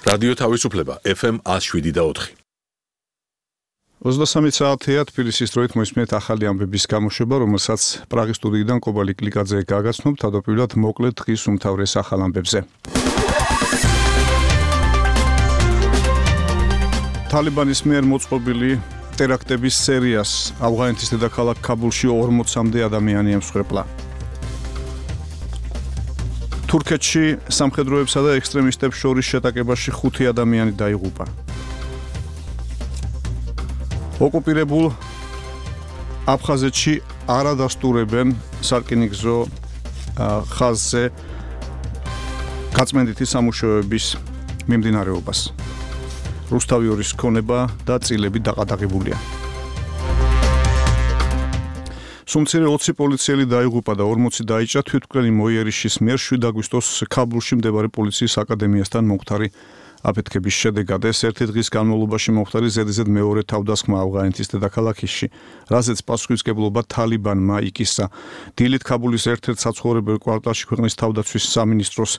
რადიო თავისუფლება FM 107.4. 23 საათია თბილისის დროით მოისმენთ ახალი ამბების გამოშვება, რომელსაც პრაღის სტუდიიდან კობალი კლიკაძე გაგაცნობთ, თავდაპირველად მოკლედ დღის უმთავრეს ახალ ამბებზე. თალიბანის მიერ მოწყობილი ტერაქტების სერიას ავღანეთის დედაქალაქ ქაბულში 40-მდე ადამიანი ემსხვერპლა. თურქეთში სამხედროებსა და ექსტრემისტებს შორის შეტაკებაში 5 ადამიანი დაიღუპა. ოკუპირებულ აფხაზეთში არ ადასტურებენ სარკინიგზო ხაზზე გაწმენდითი სამუშაოების მიმდინარეობას. რუსთავი 2-ის ქონება და წილები დაყადაღებულია. სუმცირე 20 პოლიციელი დაიღუპა და 40 დაიჭრა თვითმკვლელი მოიერიშის მიერ 7 აგვისტოს ქაბულში მდებარე პოლიციის აკადემიასთან მომხდარი აფეთქების შედეგად. ეს ერთი დღის განმავლობაში მომხდარი ზედიზედ მეორე თავდასხმა ავღანეთის დედაქალაქში, რაზეც პასუხისმგებლობა თალიბანმა იკისრა. დილით ქაბულის ერთ-ერთ საცხოვრებელ კვარტალში ქვეყნის თავდაცვის სამინისტროს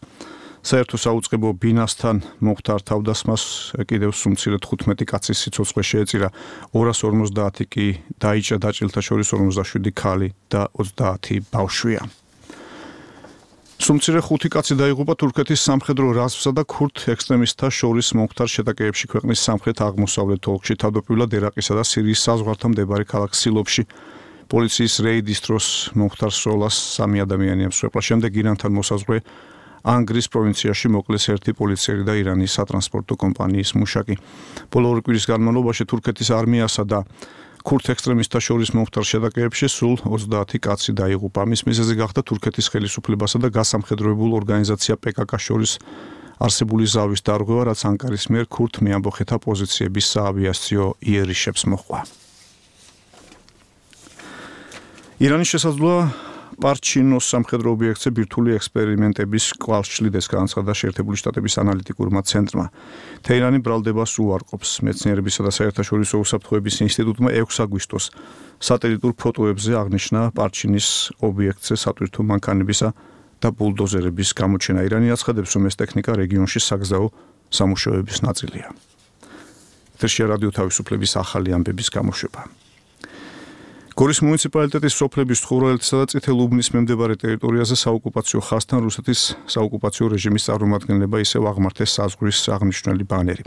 საერთო საუწყებო ბინასთან მომხდარ თავდასხმას კიდევ სუმცირე 15 კაცის სიცოცხლე შეეწირა. 250 კი დაიჭრა, დაჭრილთა შორის 57 ქალი და 30 ბავშვია. სუმცირე 5 კაცი დაიღუპა თურქეთის სამხედრო რაზმსა და ქურთ ექსტრემისტთა შორის მომხდარ შეტაკებებში ქვეყნის სამხრეთ-აღმოსავლეთ ოლქში, თავდაპირველად ერაყისა და სირიის საზღვართან მდებარე ქალაქ სილოფში. პოლიციის რეიდის დროს მომხდარ სროლას 3 ადამიანი ემსხვერპლა. შემდეგ ირანთან მოსაზღვრე ანგრის პროვინციაში მოკლეს ერთი პოლიციელი და ირანის სატრანსპორტო კომპანიის მუშაკი. ბოლო 2 კვირის განმავლობაში თურქეთის არმიასა და ქურთ ექსტრემისტთა შორის მომხდარ შეტაკებებში სულ 30 კაცი დაიღუპა. ამის მიზეზი გახდა თურქეთის ხელისუფლებასა და გასამხედროებულ ორგანიზაცია PKK შორის არსებული ზავის დარღვევა, რაც ანკარის მიერ ქურთ მეამბოხეთა პოზიციების საავიაციო იერიშებს მოჰყვა. ირანის შესაძლოა პარჩინოს სამხედრო ობიექტზე ბირთვული ექსპერიმენტების კვალს შლიდეს, განაცხადა შეერთებული შტატების ანალიტიკურმა ცენტრმა. თეირანი ბრალდებას უარყოფს. მეცნიერებისა და საერთაშორისო უსაფრთხოების ინსტიტუტმა 6 აგვისტოს სატელიტურ ფოტოებზე აღნიშნა პარჩინის ობიექტზე სატვირთო მანქანებისა და ბულდოზერების გამოჩენა. ირანი აცხადებს, რომ ეს ტექნიკა რეგიონში საგზაო სამუშაოების ნაწილია. ეთერშია რადიო თავისუფლების ახალი ამბების გამოშვება. გორის მუნიციპალიტეტის სოფლების თხუვრელეთისა და წითელ უბნის მიმდებარე ტერიტორიაზე საოკუპაციო ხაზთან რუსეთის საოკუპაციო რეჟიმის წარმომადგენლება ისევ აღმართეს საზღვრის აღნიშნული ბანერი.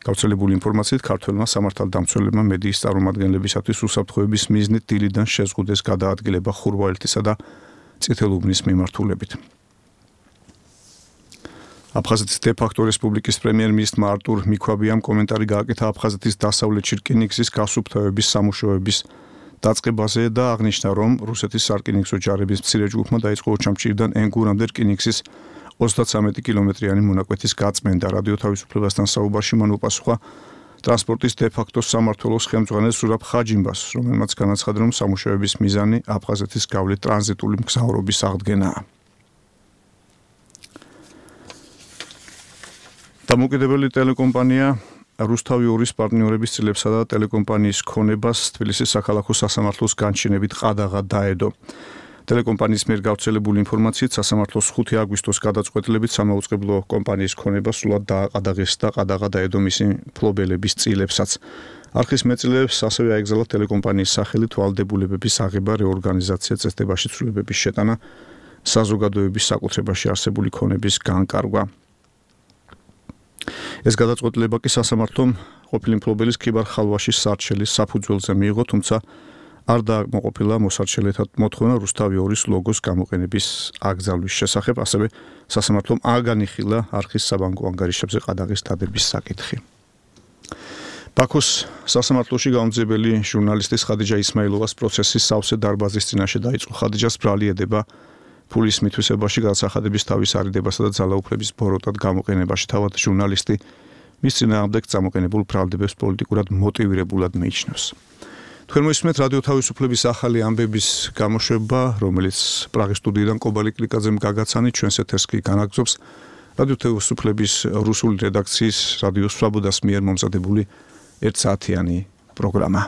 გავრცელებული ინფორმაციით ქართველმა სამართალდამცველებმა მედიის წარმომადგენლებისათვის უსაფრთხოების მიზნით დილიდან შეზღუდეს გადაადგილება ხურვალეთისა და წითელ უბნის მიმართულებით. აფხაზეთის დე-ფაქტო რესპუბლიკის პრემიერ-მინისტრმა არტურ მიქვაბიამ კომენტარი გააკეთა აფხაზეთის დასავლეთში რკინიგზის გასუფთავების სამუშაოების დაწყებაზე და აღნიშნა, რომ რუსეთის სარკინიგზო ჯარების მცირე ჯგუფმა დაიწყო ოჩამჭირიდან ენგურამდე რკინიგზის 33 კილომეტრიანი მონაკვეთის გაწმენდა. რადიო თავისუფლებასთან საუბარში მან უპასუხა ტრანსპორტის დე-ფაქტო სამმართველოს ხელმძღვანელ სურაბ ხაჯიმბას, რომელმაც განაცხადა, რომ სამუშაოების მიზანი აფხაზეთის გავლით ტრანზიტული მგზავრობის აღდგენაა. დამოუკიდებელი ტელეკომპანია რუსთავი 2-ის პარტნიორების წილებსა და ტელეკომპანიის ქონებას თბილისის საქალაქო სასამართლოს განჩინებით ყადაღა დაედო. ტელეკომპანიის მიერ გავრცელებული ინფორმაციით სასამართლოს 5 აგვისტოს გადაწყვეტილებით სამაუწყებლო კომპანიის ქონება სრულად დააყადაღეს და ყადაღა დაედო მისი მფლობელების წილებსაც. არხის მეწილეებს ასევე აეგზალა ტელეკომპანიის სახელით ვალდებულებების აღება, რეორგანიზაცია, წესდებაში ცვლილებების შეტანა, საზოგადოების საკუთრებაში არსებული ქონების განკარგვა. ეს გადაწყვეტილება კი სასამართლომ ყოფილი მფლობელის ქიბარ ხალვაშის სარჩელის საფუძველზე მიიღო, თუმცა არ დააკმაყოფილა მოსარჩელეთა მოთხოვნა რუსთავი 2-ის ლოგოს გამოყენების აკრძალვის შესახებ, ასევე სასამართლომ აღანიხილა არხის საბანკო ანგარიშებზე ყადაღის დადების საკითხი. ბაქოს სასამართლოში გამომძიებელი ჟურნალისტის ხადიჯა ისმაილოვას პროცესი სავსე დარბაზის წინაშე დაიწყო. ხადიჯას ბრალი ედება ფულის მითვისებაში, გადასახადების თავის არიდებასა და ძალაუფლების ბოროტად გამოყენებაში. თავად ჟურნალისტი მის წინააღმდეგ წამოყენებულ ბრალდებებს პოლიტიკურად მოტივირებულად მიიჩნევს. თქვენ მოისმენთ რადიო თავისუფლების ახალი ამბების გამოშვება, რომელიც პრაღის სტუდიიდან კობალი კლიკაძემ გაგაცანით, ჩვენს ეთერს კი განაგრძობს რადიო თავისუფლების რუსული რედაქციის რადიო სვაბოდას მიერ მომზადებული 1 საათიანი პროგრამა.